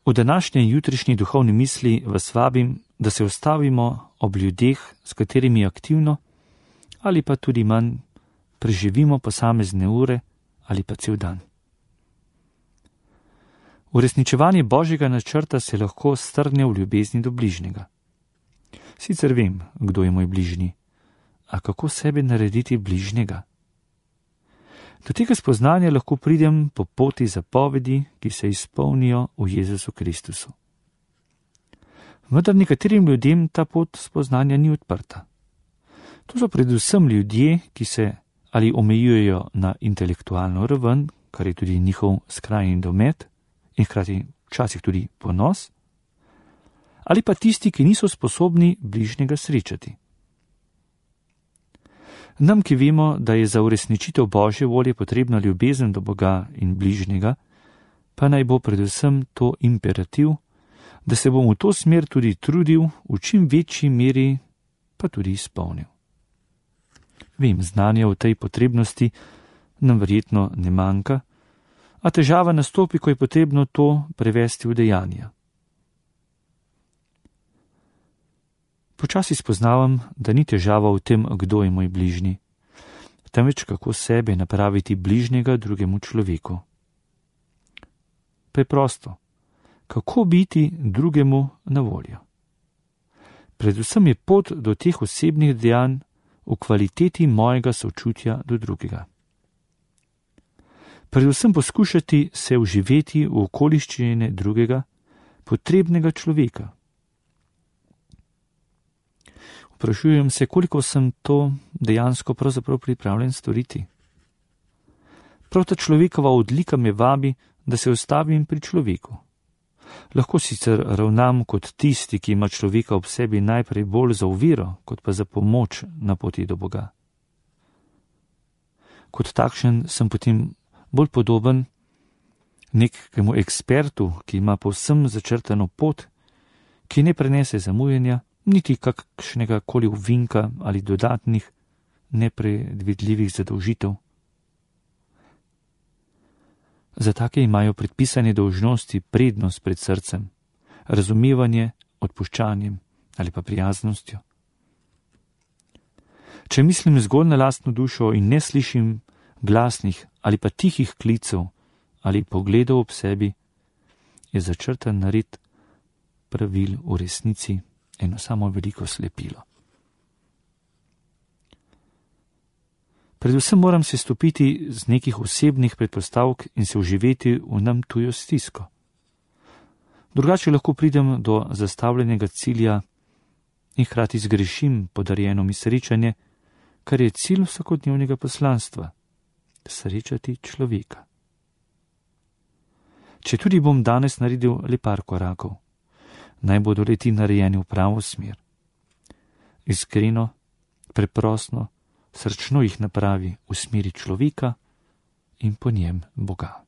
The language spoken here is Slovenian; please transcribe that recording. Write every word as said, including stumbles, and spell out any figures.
V današnji in jutrišnji duhovni misli vas vabim, da se ustavimo ob ljudeh, s katerimi aktivno ali pa tudi manj preživimo posamezne ure ali pa cel dan. Uresničevanje Božjega načrta se lahko strne v ljubezni do bližnjega. Sicer vem, kdo je moj bližnji, a kako sebe narediti bližnjega? Do tega spoznanja lahko pridem po poti zapovedi, ki se izpolnijo v Jezusu Kristusu. Vendar nekaterim ljudem ta pot spoznanja ni odprta. To so predvsem ljudje, ki se ali omejujejo na intelektualno raven, kar je tudi njihov skrajni domet in hkrati včasih tudi ponos, ali pa tisti, ki niso sposobni bližnjega srečati. Nam, ki vemo, da je za uresničitev Božje volje potrebna ljubezen do Boga in bližnjega, pa naj bo predvsem to imperativ, da se bom v to smer tudi trudil, v čim večji meri pa tudi izpolnil. Vem, znanja o tej potrebnosti nam verjetno ne manjka, a težava nastopi, ko je potrebno to prevesti v dejanja. Počasi spoznavam, da ni težava v tem, kdo je moj bližnji, temveč kako sebe napraviti bližnjega drugemu človeku. Preprosto, kako biti drugemu na voljo. Predvsem je pot do teh osebnih dejanj v kvaliteti mojega sočutja do drugega. Predvsem poskušati se vživeti v okoliščine drugega, potrebnega človeka. Vprašujem se, koliko sem to dejansko pravzaprav pripravljen storiti. Prav ta človekova odlika me vabi, da se ustavim pri človeku. Lahko sicer ravnam kot tisti, ki ima človeka ob sebi najprej bolj za oviro, kot pa za pomoč na poti do Boga. Kot takšen sem potem bolj podoben nekemu ekspertu, ki ima povsem začrtano pot, ki ne prenese zamujenja, niti kakšnega koli ovinka ali dodatnih nepredvidljivih zadolžitev. Za take imajo predpisane dolžnosti prednost pred srcem, razumevanje, odpuščanjem ali pa prijaznostjo. Če mislim zgolj na lastno dušo in ne slišim glasnih ali pa tihih klicev ali pogledov ob sebi, je začrtan nared pravil v resnici eno samo veliko slepilo. Predvsem moram se stopiti z nekih osebnih predpostavk in se vživeti v nam tujo stisko. Drugače lahko pridem do zastavljenega cilja in hkrati zgrešim podarjeno mi srečanje, kar je cilj vsakodnevnega poslanstva – srečati človeka. Če tudi bom danes naredil le par korakov, naj bodo leti narejeni v pravo smer. Iskreno, preprosto, srčno jih napravi v smeri človeka in po njem Boga.